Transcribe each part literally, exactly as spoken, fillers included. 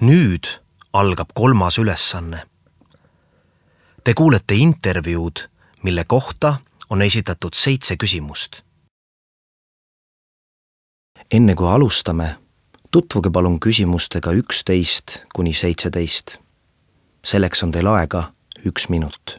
Nüüd algab kolmas ülesanne. Te kuulete intervjuud, mille kohta on esitatud seitse küsimust. Enne kui alustame, tutvuge palun küsimustega üksteist kuni seitseteist. Selleks on teil aega üks minut.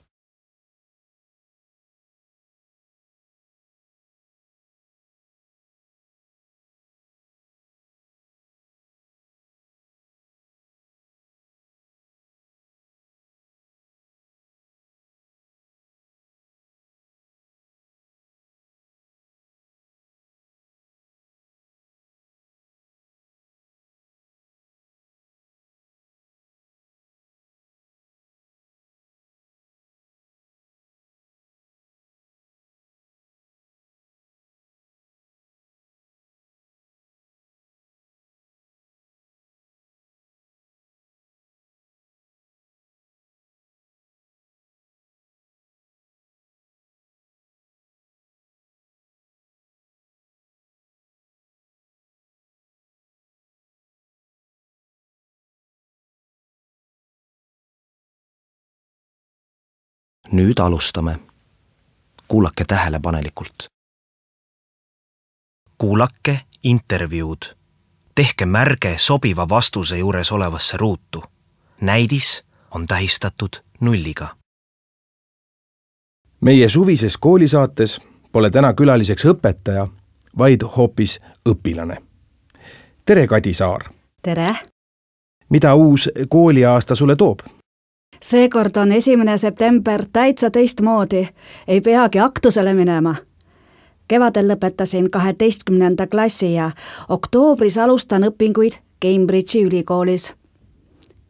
Nüüd alustame. Kuulake tähelepanelikult. Kuulake intervjuud. Tehke märge sobiva vastuse juures olevasse ruutu. Näidis on tähistatud nulliga. Meie suvises koolisaates pole täna külaliseks õpetaja, vaid hoopis õpilane. Tere, Kadi Saar! Tere! Mida uus kooliaasta sulle toob? Seekord on esimene september täitsa teistmoodi. Ei peagi aktusele minema. Kevadel lõpetasin kaheteistkümnenda klassi ja oktoobris alustan õpinguid Cambridge'i ülikoolis.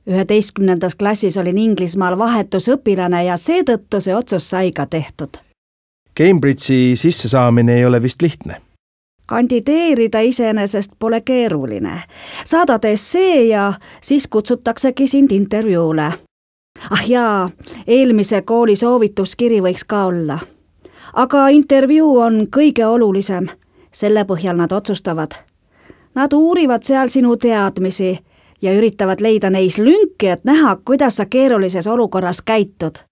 üheteistkümnendas klassis olin Inglismaal vahetusõpilane ja seetõttu see otsus sai ka tehtud. Cambridge'i sissesaamine ei ole vist lihtne. Kandideerida iseenesest pole keeruline. Saadad essee ja siis kutsutaksegi sind intervjuule. Ah jaa, eelmise kooli soovituskiri võiks ka olla. Aga intervjuu on kõige olulisem. Selle põhjal nad otsustavad. Nad uurivad seal sinu teadmisi ja üritavad leida neis lünki, et näha, kuidas sa keerulises olukorras käitud.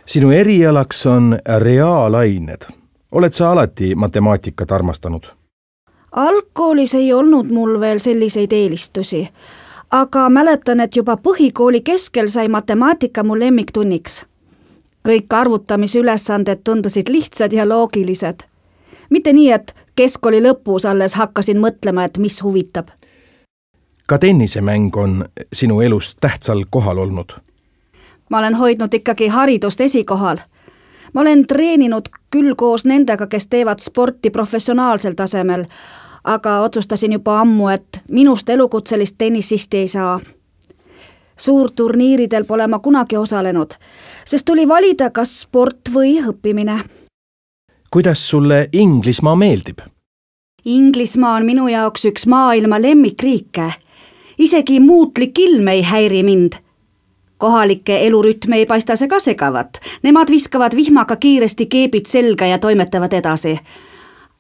Sinu erialaks on reaalained. Oled sa alati matemaatikat armastanud? Algkoolis ei olnud mul veel selliseid eelistusi. Aga mäletan, et juba põhikooli keskel sai matemaatika mu lemmiktunniks. Kõik arvutamisülesanded tundusid lihtsad ja loogilised. Mitte nii, et keskkooli lõpus alles hakkasin mõtlema, et mis huvitab. Ka tennisemäng on sinu elus tähtsal kohal olnud. Ma olen hoidnud ikkagi haridust esikohal. Ma olen treeninud küll koos nendega, kes teevad sporti professionaalsel tasemel, aga otsustasin juba ammu, et minust elukutselist tennisisti ei saa. Suurturniiridel pole ma kunagi osalenud, sest tuli valida kas sport või õppimine. Kuidas sulle Inglismaa meeldib? Inglismaa on minu jaoks üks maailma lemmikriike. Isegi muutlik ilm ei häiri mind. Kohalike elurütme ei paista see ka segavat. Nemad viskavad vihmaga kiiresti keebid selga ja toimetavad edasi.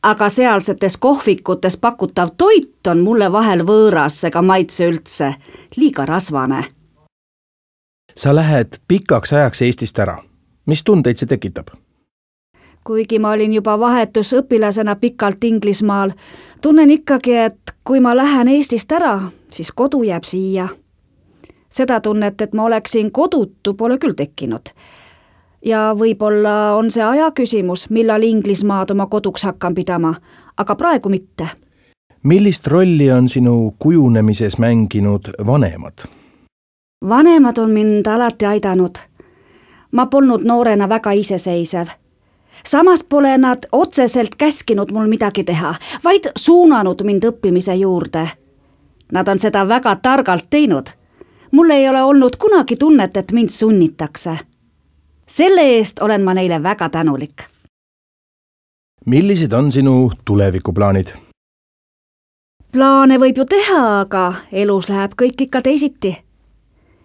Aga sealsetes kohvikutes pakutav toit on mulle vahel võõras ega maitse üldse, liiga rasvane. Sa lähed pikaks ajaks Eestist ära. Mis tundeid see tekitab? Kuigi ma olin juba vahetusõpilasena pikalt Inglismaal, tunnen ikkagi, et kui ma lähen Eestist ära, siis kodu jääb siia. Seda tunnet, et ma oleksin kodutu, pole küll tekkinud. Ja võib-olla on see aja küsimus, millal Inglismaad oma koduks hakkan pidama, aga praegu mitte. Millist rolli on sinu kujunemises mänginud vanemad? Vanemad on mind alati aidanud. Ma polnud noorena väga iseseisev. Samas pole nad otseselt käskinud mul midagi teha, vaid suunanud mind õppimise juurde. Nad on seda väga targalt teinud. Mul ei ole olnud kunagi tunnet, et mind sunnitakse. Selle eest olen ma neile väga tänulik. Millised on sinu tulevikuplaanid? Plaane võib ju teha, aga elus läheb kõik ikka teisiti.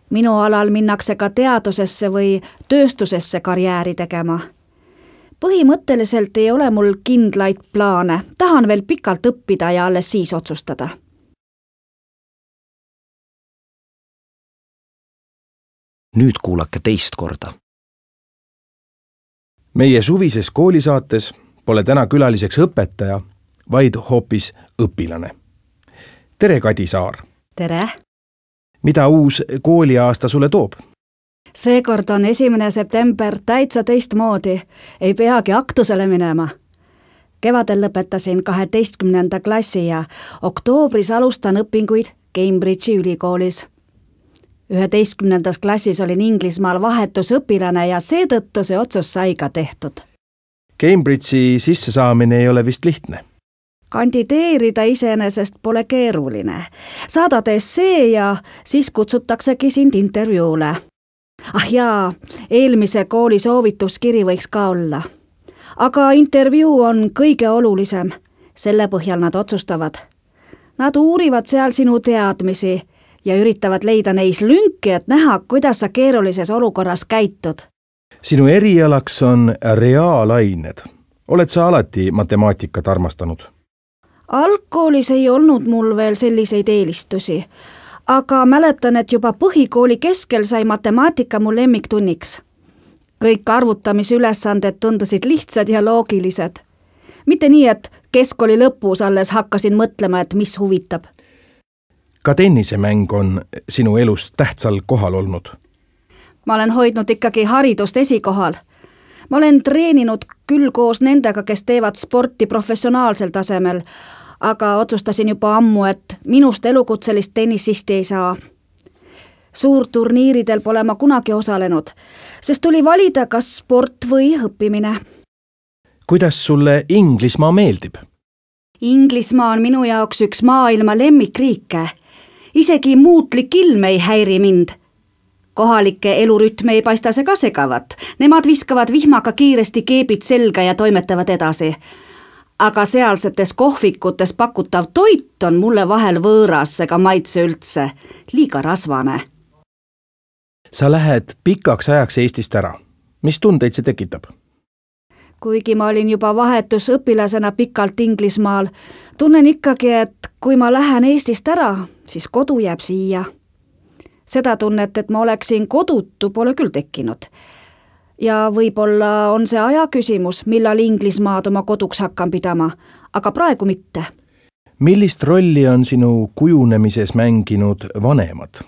Minu alal minnakse ka teadusesse või tööstusesse karjääri tegema. Põhimõtteliselt ei ole mul kindlaid plaane. Tahan veel pikalt õppida ja alles siis otsustada. nüüd kuulake teist korda. meie suvises koolisaates pole täna külaliseks õpetaja, vaid hoopis õpilane. tere, Kadi Saar! tere! Mida uus kooliaasta sulle toob? Seekord on esimene september täitsa teistmoodi, ei peagi aktusele minema. Kevadel lõpetasin kaheteistkümnenda klassi ja oktoobris alustan õpinguid Cambridge'i ülikoolis. üheteistkümnendas klassis olin Inglismaal vahetusõpilane ja seetõttu see otsus sai ka tehtud. Cambridge'i sissesaamine ei ole vist lihtne. Kandideerida iseenesest pole keeruline. Saadad essee ja siis kutsutaksegi sind intervjuule. Ah jaa, eelmise kooli soovituskiri võiks ka olla. Aga intervjuu on kõige olulisem. Selle põhjal nad otsustavad. Nad uurivad seal sinu teadmisi ja üritavad leida neis lünki, et näha, kuidas sa keerulises olukorras käitud. Sinu erialaks on reaalained. Oled sa alati matemaatikat armastanud? Algkoolis ei olnud mul veel selliseid eelistusi, aga mäletan, et juba põhikooli keskel sai matemaatika mu lemmiktunniks. Kõik arvutamisülesanded tundusid lihtsad ja loogilised. Mitte nii, et keskkooli lõpus alles hakkasin mõtlema, et mis huvitab. Ka tennisemäng on sinu elus tähtsal kohal olnud. Ma olen hoidnud ikkagi haridust esikohal. Ma olen treeninud küll koos nendega, kes teevad sporti professionaalsel tasemel, aga otsustasin juba ammu, et minust elukutselist tennisisti ei saa. Suurturniiridel pole ma kunagi osalenud, sest tuli valida kas sport või õppimine. Kuidas sulle Inglismaa meeldib? Inglismaa on minu jaoks üks maailma lemmikriike. Isegi muutlik ilm ei häiri mind. Kohalike elurütme ei paista see ka segavat. Nemad viskavad vihmaga kiiresti keebid selga ja toimetavad edasi. Aga sealsetes kohvikutes pakutav toit on mulle vahel võõras ega maitse üldse. Liiga rasvane. Sa lähed pikaks ajaks Eestist ära. Mis tundeid see tekitab? Kuigi ma olin juba vahetusõpilasena pikalt Inglismaal, tunnen ikkagi, et kui ma lähen Eestist ära, siis kodu jääb siia. Seda tunnet, et ma oleksin kodutu, pole küll tekkinud. Ja võib-olla on see aja küsimus, millal Inglismaad oma koduks hakkan pidama, aga praegu mitte. Millist rolli on sinu kujunemises mänginud vanemad?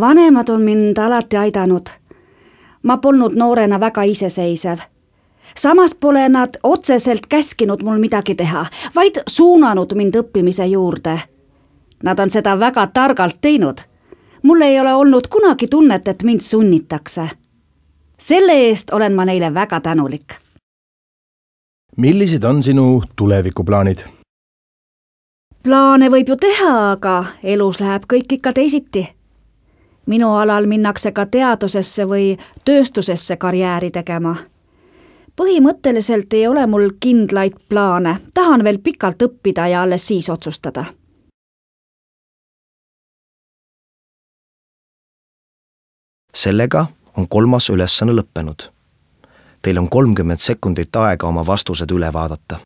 Vanemad on mind alati aidanud. Ma polnud noorena väga iseseisev. Samas pole nad otseselt käskinud mul midagi teha, vaid suunanud mind õppimise juurde. Nad on seda väga targalt teinud. Mul ei ole olnud kunagi tunnet, et mind sunnitakse. Selle eest olen ma neile väga tänulik. Millised on sinu tulevikuplaanid? Plaane võib ju teha, aga elus läheb kõik ikka teisiti. Minu alal minnakse ka teadusesse või tööstusesse karjääri tegema. Põhimõtteliselt ei ole mul kindlaid plaane. Tahan veel pikalt õppida ja alles siis otsustada. Sellega on kolmas ülesanne lõppenud. Teil on kolmkümmend sekundit aega oma vastused üle vaadata.